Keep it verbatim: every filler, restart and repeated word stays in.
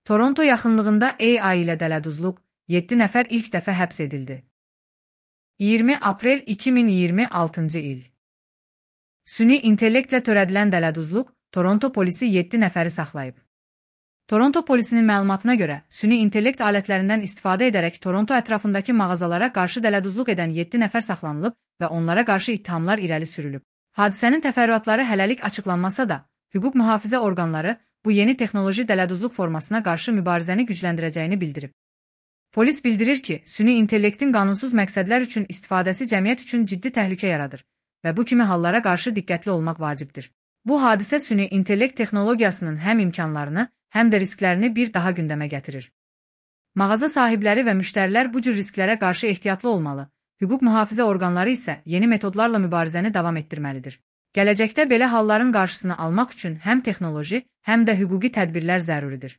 Toronto yaxınlığında A I ilə dələduzluq, yeddi nəfər ilk dəfə həbs edildi. iyirmi aprel iki min iyirmi altıncı il. Süni intellektlə törədilən dələduzluq, Toronto polisi yeddi nəfəri saxlayıb. Toronto polisinin məlumatına görə, süni intellekt alətlərindən istifadə edərək Toronto ətrafındakı mağazalara qarşı dələduzluq edən yeddi nəfər saxlanılıb və onlara qarşı ittihamlar irəli sürülüb. Hadisənin təfərrüatları hələlik açıqlanmasa da, hüquq mühafizə orqanları bu yeni texnoloji dələduzluq formasına qarşı mübarizəni gücləndirəcəyini bildirib. Polis bildirir ki, süni intellektin qanunsuz məqsədlər üçün istifadəsi cəmiyyət üçün ciddi təhlükə yaradır və bu kimi hallara qarşı diqqətli olmaq vacibdir. Bu hadisə süni intellekt texnologiyasının həm imkanlarını, həm də risklərini bir daha gündəmə gətirir. Mağaza sahibləri və müştərilər bu cür risklərə qarşı ehtiyatlı olmalı, hüquq mühafizə orqanları isə yeni metodlarla mübarizəni davam etdirməlidir. Gələcəkdə belə halların qarşısını almaq üçün həm texnoloji, həm də hüquqi tədbirlər zəruridir.